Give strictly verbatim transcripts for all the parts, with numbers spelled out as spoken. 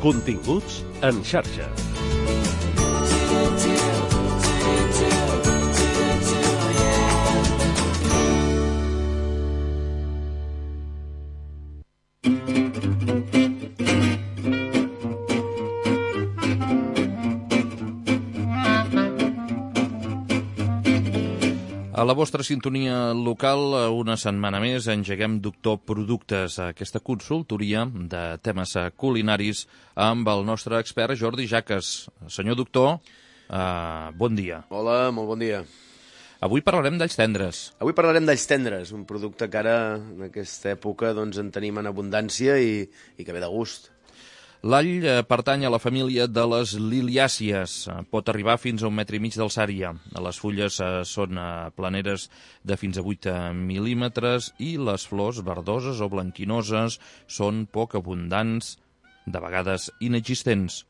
Continguts en xarxa. A la vostra sintonia local, una setmana més, engeguem Doctor Productes, aquesta consultoria de temes culinaris amb el nostre expert Jordi Jaques. Senyor doctor, eh, bon dia. Hola, molt bon dia. Avui parlarem d'alls tendres. Avui parlarem d'alls tendres, un producte que ara, en aquesta època, doncs, en tenim en abundància i, i que ve de gust. L'all eh, pertany a la família de les liliàcies. Pot arribar fins a un metre i mig d'alçària. Les fulles eh, són eh, planeres de fins a vuit mil·límetres i les flors verdoses o blanquinoses són poc abundants, de vegades inexistents.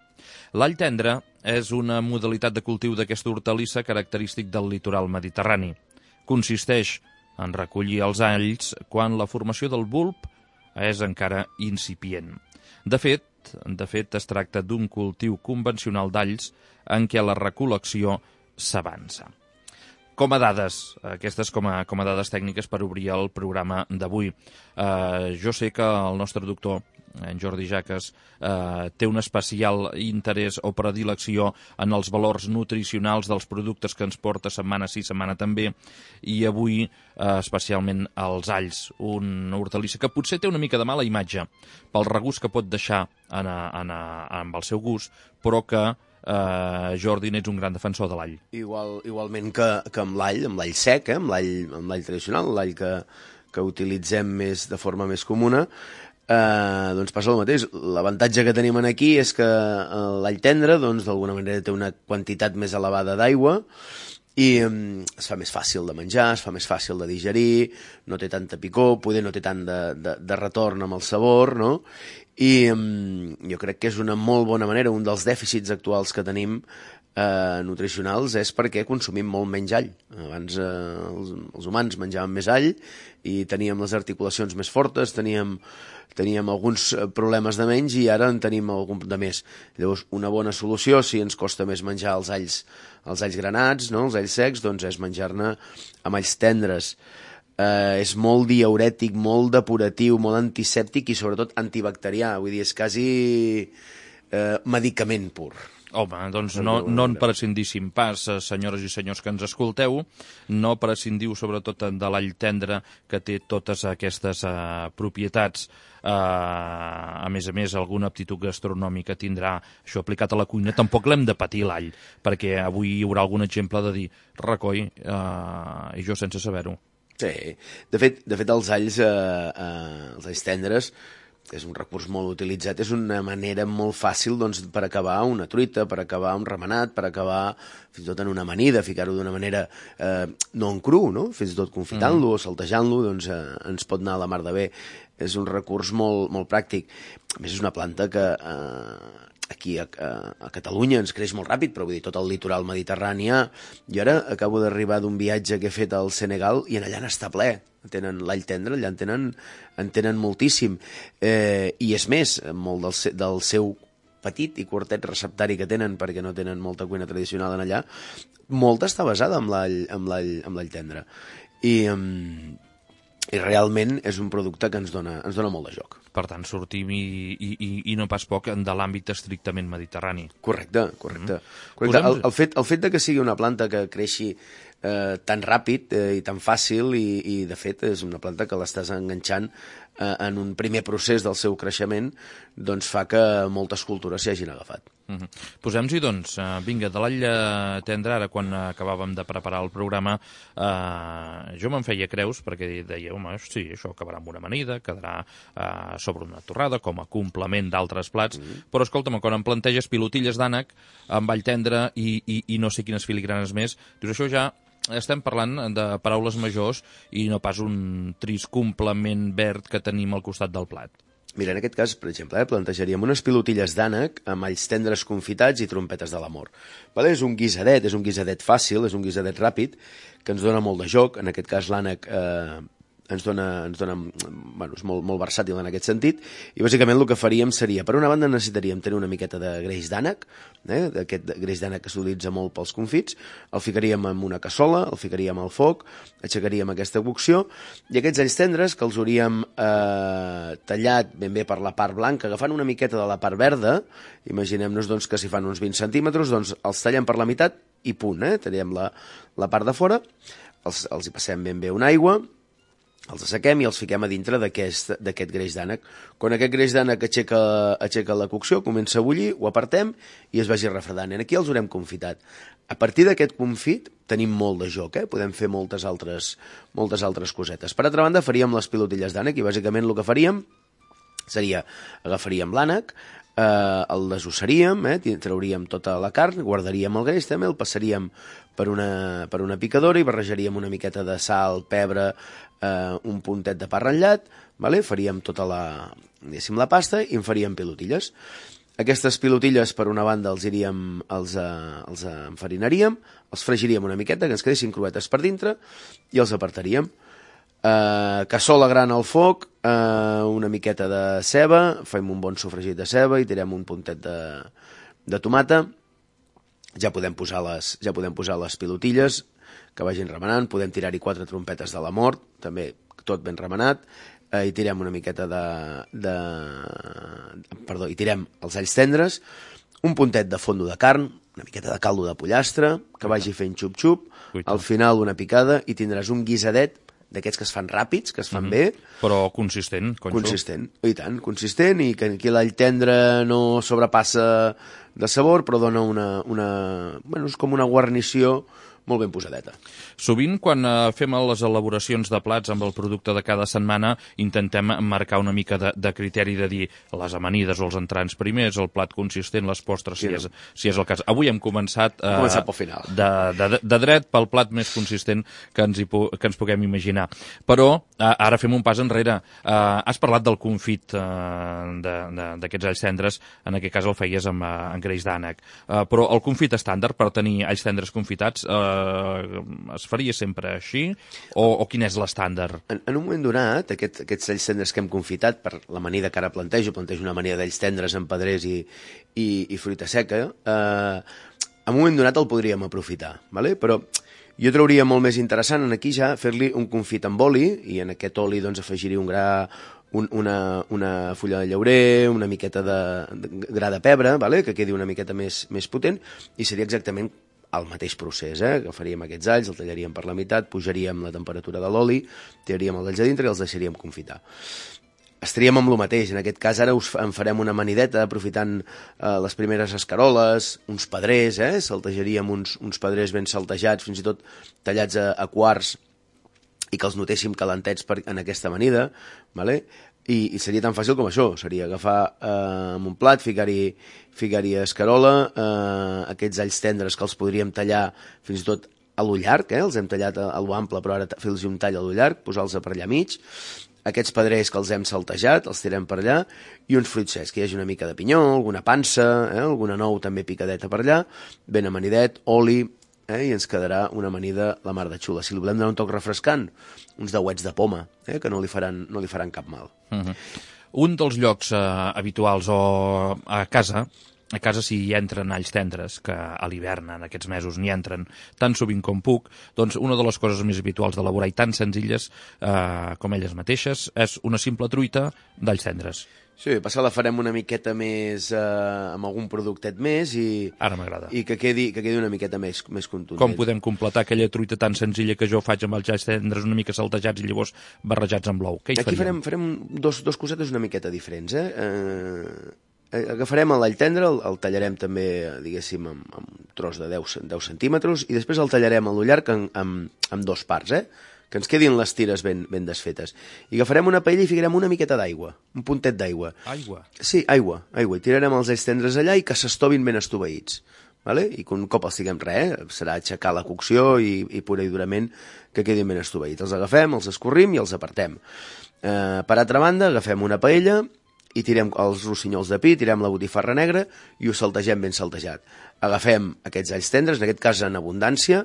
L'all tendre és una modalitat de cultiu d'aquesta hortalissa característic del litoral mediterrani. Consisteix en recollir els alls quan la formació del bulb és encara incipient. De fet, De fet, es tracta d'un cultiu convencional d'alls en què la recol·lecció s'avança. Com a dades, aquestes com a, com a dades tècniques per obrir el programa d'avui. Eh, jo sé que el nostre doctor, en Jordi Jaques, eh, té un especial interès o predilecció en els valors nutricionals dels productes que ens porta setmana sí, setmana també, i avui eh, especialment els alls, una hortalissa que potser té una mica de mala imatge pel regust que pot deixar en, en, en el seu gust, però que Uh, Jordi, n'ets un gran defensor de l'all. Igual, igualment que, que amb l'all, amb l'all sec, eh? amb l'all tradicional, l'all que, que utilitzem més de forma més comuna, uh, doncs passa el mateix. L'avantatge que tenim aquí és que l'all tendre, doncs, d'alguna manera té una quantitat més elevada d'aigua i um, es fa més fàcil de menjar, es fa més fàcil de digerir, no té tanta picor, poder no té tant de, de, de retorn amb el sabor, no? I um, jo crec que és una molt bona manera, un dels dèficits actuals que tenim eh, nutricionals és perquè consumim molt menys all. Abans eh, els, els humans menjaven més all i teníem les articulacions més fortes, teníem, teníem alguns problemes de menys i ara en tenim algun de més. Llavors, una bona solució, si ens costa més menjar els alls, els alls granats, no? Els alls secs, doncs és menjar-ne amb alls tendres. Uh, és molt diürètic, molt depuratiu, molt antisèptic i sobretot antibacterià, vull dir, és quasi uh, medicament pur. Home, doncs no, no en prescindíssim pas, senyores i senyors que ens escolteu, no prescindiu sobretot de l'all tendre que té totes aquestes uh, propietats. Uh, a més a més, alguna aptitud gastronòmica tindrà això aplicat a la cuina. Tampoc l'hem de patir l'all, perquè avui hi haurà algun exemple de dir recoi, uh, i jo sense saber-ho. Sí, de fet, de fet els alls, eh, eh, els alls tendres és un recurs molt utilitzat, és una manera molt fàcil doncs, per acabar una truita, per acabar un remenat, per acabar fins i tot en una amanida, ficar-ho d'una manera eh, no en cru, no? Fins i tot confitant-lo mm. o saltejant-lo, doncs eh, ens pot anar a la mar de bé. És un recurs molt, molt pràctic. A més, és una planta que eh, aquí a, a, a Catalunya ens creix molt ràpid, però vull dir, tot el litoral mediterrani. I ara acabo d'arribar d'un viatge que he fet al Senegal i en allà n'està ple. Tenen l'all tendre, allà en tenen, en tenen moltíssim. Eh, I és més, molt del, del seu petit i curtet receptari que tenen, perquè no tenen molta cuina tradicional en allà, molta està basada amb l'all amb l'all amb l'all tendre. I, um, i realment és un producte que ens dona, ens dona molt de joc. Per tant, sortim i, i, i no pas poc de l'àmbit estrictament mediterrani. Correcte, correcte. Mm. correcte. El, el, fet, el fet de que sigui una planta que creixi eh, tan ràpid eh, i tan fàcil i, i, de fet, és una planta que l'estàs enganxant eh, en un primer procés del seu creixement, doncs fa que moltes cultures s'hi hagin agafat. Mm -hmm. Posem-s'hi, doncs, uh, vinga, de l'all tendre, ara quan acabàvem de preparar el programa, uh, jo me'n feia creus, perquè deia, home, sí, això acabarà amb una amanida, quedarà uh, sobre una torrada, com a complement d'altres plats, mm -hmm. però escolta'm, quan em planteges pilotilles d'ànec amb all tendre i, i, i no sé quines filigranes més, dius, això ja estem parlant de paraules majors i no pas un trist complement verd que tenim al costat del plat. Mira, en aquest cas, per exemple, eh, plantejaríem unes pilotilles d'ànec amb alls tendres confitats i trompetes de l'amor. Vale? És un guisadet, és un guisadet fàcil, és un guisadet ràpid, que ens dona molt de joc. En aquest cas, l'ànec eh, ens dona, ens dona bueno, és molt, molt versàtil en aquest sentit, i bàsicament el que faríem seria, per una banda necessitaríem tenir una miqueta de greix d'ànec, eh, d'aquest greix d'ànec que s'utilitza molt pels confits, el ficaríem en una cassola, el ficaríem al foc, aixecaríem aquesta cocció, i aquests alls tendres que els hauríem eh, tallat ben bé per la part blanca, agafant una miqueta de la part verda, imaginem-nos doncs, que si fan uns vint centímetres, doncs els tallem per la meitat i punt, eh? Tallem la, la part de fora, els, els hi passem ben bé una aigua, els assequem i els fiquem a dintre d'aquest greix d'ànec. Quan aquest greix d'ànec aixeca, aixeca la cocció, comença a bullir, ho apartem i es vagi refredant. I aquí els haurem confitat. A partir d'aquest confit tenim molt de joc, eh? Podem fer moltes altres, moltes altres cosetes. Per altra banda, faríem les pilotilles d'ànec i bàsicament el que faríem seria, agafaríem l'ànec, eh, el desossaríem, eh? Trauríem tota la carn, guardaríem el greix també, el passaríem per una, per una picadora i barrejaríem una miqueta de sal, pebre, eh, un puntet de pa ratllat, vale? Faríem tota la, diguéssim, la pasta i en faríem pilotilles. Aquestes pilotilles, per una banda, els iríem, els, eh, els enfarinaríem, els fregiríem una miqueta, que ens quedessin cruetes per dintre, i els apartaríem. Eh, cassola gran al foc, eh, una miqueta de ceba, fem un bon sofregit de ceba i tirem un puntet de, de tomata. Ja podem posar les, ja podem posar les pilotilles que vagin remenant, podem tirar-hi quatre trompetes de la mort, també tot ben remenat, eh, i tirem una miqueta de, de... Perdó, i tirem els alls tendres, un puntet de fondo de carn, una miqueta de caldo de pollastre, que vagi fent xup-xup, al final una picada i tindràs un guisadet d'aquests que es fan ràpids, que es fan mm-hmm. bé. Però consistent, conxo. Consistent, i tant, consistent, i que aquí l'all tendre no sobrepassa de sabor, però dona una, una... Bueno, és com una guarnició molt ben posadeta. Sovint, quan eh, fem les elaboracions de plats amb el producte de cada setmana, intentem marcar una mica de, de criteri de dir les amanides o els entrants primers, el plat consistent, les postres, sí, si, no? és, si és el cas. Avui hem començat, eh, començat pel final. De, de, de dret pel plat més consistent que ens, hi, que ens puguem imaginar. Però eh, ara fem un pas enrere. Eh, has parlat del confit eh, d'aquests alls tendres, en aquest cas el feies amb, amb greix d'ànec. Eh, però el confit estàndard per tenir alls tendres confitats eh, es faria sempre així? O, o quin és l'estàndard? En, en un moment donat, aquest, aquests alls tendres que hem confitat, per l'amanida que ara plantejo, plantejo una amanida d'alls tendres amb pedrers i, i, i fruita seca, eh, en un moment donat el podríem aprofitar, ¿vale? Però jo trauria molt més interessant en aquí ja fer-li un confit amb oli, i en aquest oli doncs, afegiria un gra, un, una, una fulla de llaurer, una miqueta de, de gra de pebre, ¿vale? Que quedi una miqueta més, més potent, i seria exactament el mateix procés, eh? Agafaríem aquests alls, el tallaríem per la meitat, pujaríem la temperatura de l'oli, tiraríem els alls a dintre i els deixaríem confitar. Estaríem amb el mateix, en aquest cas ara us en farem una amanideta aprofitant eh, les primeres escaroles, uns pedrers, eh? Saltejaríem uns, uns pedrers ben saltejats, fins i tot tallats a, a quarts, i que els notéssim calentets per, en aquesta amanida, ¿vale? I, i seria tan fàcil com això, seria agafar eh, amb un plat, ficar-hi ficar-hi escarola, eh, aquests alls tendres que els podríem tallar fins i tot a l'ull llarg, eh? Els hem tallat a, a l'ample, però ara fer-los un tall a l'ull llarg, posar-los per allà mig, aquests pedrers que els hem saltejat, els tirem per allà, i uns fruits secs, que hi hagi una mica de pinyó, alguna pansa, eh? Alguna nou també picadeta per allà, ben amanidet, oli, eh? I ens quedarà una amanida la mar de xula. Si li volem donar un toc refrescant, uns dauets de poma, eh? Que no li faran, no li faran cap mal. Uh-huh. Un dels llocs eh, habituals o a casa, a casa si hi entren alls tendres, que a l'hivern en aquests mesos n'hi entren tan sovint com puc, doncs una de les coses més habituals d'elaborar i tan senzilles eh, com elles mateixes és una simple truita d'alls tendres. Sí, passar la farem una miqueta més eh, amb algun productet més i, ara m'agrada. I que quedi, que quedi una miqueta més, més contundent. Com podem completar aquella truita tan senzilla que jo faig amb els alls tendres una mica saltejats i llavors barrejats amb l'ou? Què hi Aquí farem, farem dos, dos cosetes una miqueta diferents, eh? eh agafarem l'all tendre, el, el tallarem també, diguéssim, amb, amb un tros de deu centímetres i després el tallarem a l'ull llarg amb, amb, amb dos parts, eh? Que ens quedin les tires ben, ben desfetes. I agafarem una paella i ficarem una miqueta d'aigua, un puntet d'aigua. Aigua? Sí, aigua, aigua. I tirarem els alls tendres allà i que s'estovin ben estoveïts. Vale? I que un cop els tinguem res, eh? Serà aixecar la cocció i, i pura i durament que quedin ben estoveïts. Els agafem, els escorrim i els apartem. Eh, per altra banda, agafem una paella i tirem els rossinyols de pi, tirem la botifarra negra i ho saltegem ben saltejat. Agafem aquests alls tendres, en aquest cas en abundància,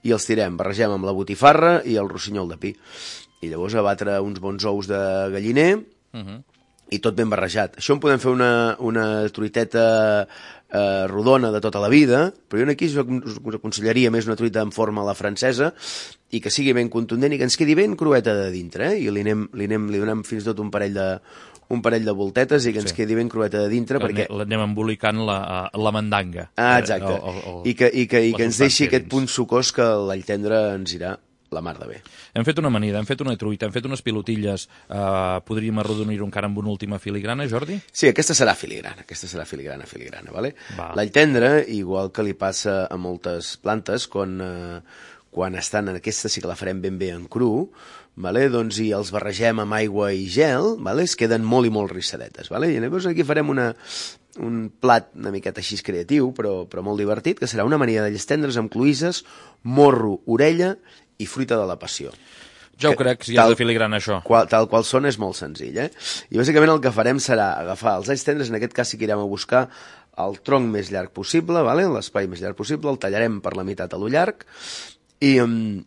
i els tirem, barregem amb la botifarra i el rossinyol de pi. i llavors a batre uns bons ous de galliner, Uh -huh. i tot ben barrejat. Això en podem fer una, una truiteta eh, rodona de tota la vida, però jo aquí us, us aconsellaria més una truita en forma a la francesa i que sigui ben contundent i que ens quedi ben crueta de dintre, eh? I li, anem, li, anem, li donem fins i tot un parell de un parell de voltetes i que ens sí. quedi ben crueta de dintre, que perquè... L'anem embolicant la, la mandanga. Ah, exacte. Eh, el, el, I que, i que, i que ens deixi aquest punt sucós que l'all tendre ens irà la mar de bé. Hem fet una amanida, hem fet una truita, hem fet unes pilotilles. Uh, podríem arrodonir-ho encara amb una última filigrana, Jordi? Sí, aquesta serà filigrana, aquesta serà filigrana, filigrana, vale? Va. L'all tendre, igual que li passa a moltes plantes, quan, uh, quan estan en aquesta sí que la farem ben bé en cru, vale? Doncs i els barregem amb aigua i gel, vale? Es queden molt i molt rissadetes. Vale? I llavors aquí farem una, un plat una miqueta així creatiu, però, però molt divertit, que serà una amanida d'alls tendres amb cloïsses, morro, orella i fruita de la passió. Ja ho que, crec, si tal, has de filigrana això. Qual, tal qual són és molt senzill, eh? I bàsicament el que farem serà agafar els alls tendres, en aquest cas sí que irem a buscar el tronc més llarg possible, vale? L'espai més llarg possible, el tallarem per la meitat a lo llarg, i, um,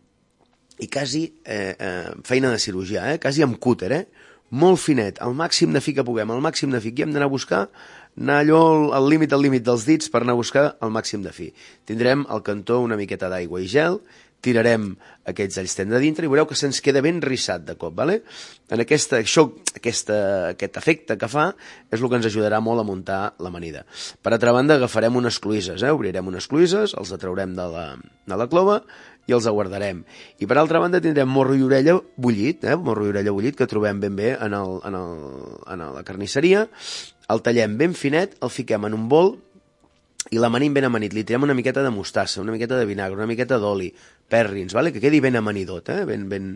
i quasi, eh, eh, feina de cirurgià, eh? Quasi amb cúter, eh? Molt finet, al màxim de fi que puguem, al màxim de fi que hem d'anar a buscar, anar allò al límit, al límit dels dits per anar a buscar el màxim de fi. Tindrem al cantó una miqueta d'aigua i gel, tirarem aquests alls tendre dintre i veureu que se'ns queda ben rissat de cop, vale? En aquesta, això, aquesta, aquest efecte que fa és el que ens ajudarà molt a muntar l'amanida. Per altra banda, agafarem unes cloïsses, eh? Obrirem unes cloïsses, els atraurem de la, de la clova i els aguardarem. I per altra banda tindrem morro i orella bullit, eh? Morro i orella bullit que trobem ben bé en, el, en, el, en la carnisseria, el tallem ben finet, el fiquem en un bol i l'amanim ben amanit, li tirem una miqueta de mostassa, una miqueta de vinagre, una miqueta d'oli, pèrrins, vale? Que quedi ben amanidot, eh? ben, ben,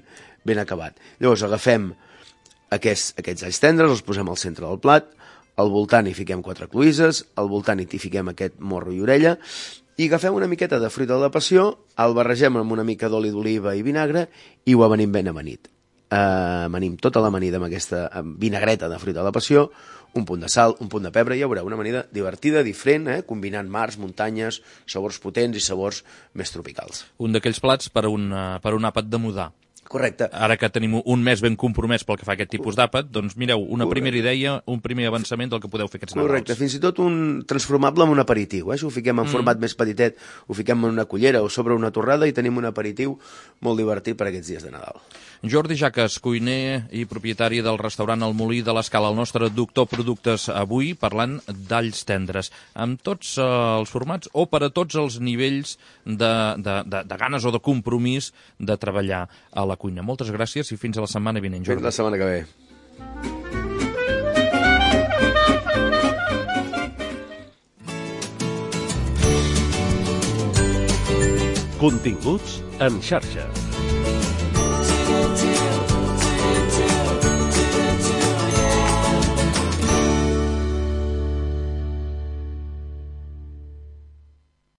ben acabat. Llavors agafem aquests, aquests alls tendres, els posem al centre del plat, al voltant hi fiquem quatre cloïsses, al voltant hi fiquem aquest morro i orella, i agafem una miqueta de fruita de la passió, el barregem amb una mica d'oli d'oliva i vinagre i ho amanim ben amanit. Uh, amanim tota l'amanida amb aquesta amb vinagreta de fruita de la passió, un punt de sal, un punt de pebre, i ja veureu una amanida divertida, diferent, eh? Combinant mars, muntanyes, sabors potents i sabors més tropicals. Un d'aquells plats per un, uh, per un àpat de mudar. Correcte. Ara que tenim un mes ben compromès pel que fa a aquest tipus d'àpat, doncs mireu, una Correcte. primera idea, un primer avançament del que podeu fer aquests Nadals. Correcte, fins i tot un transformable en un aperitiu, eh? Si ho fiquem en mm. format més petitet, ho fiquem en una cullera o sobre una torrada i tenim un aperitiu molt divertit per aquests dies de Nadal. Jordi Jaques, cuiner i propietari del restaurant El Molí de l'Escala, el nostre doctor productes avui, parlant d'alls tendres, amb tots eh, els formats o per a tots els nivells de, de, de, de ganes o de compromís de treballar a la cuina. Moltes gràcies i fins a la setmana vinent, Jordi. Fins la setmana que ve. Continguts en xarxa.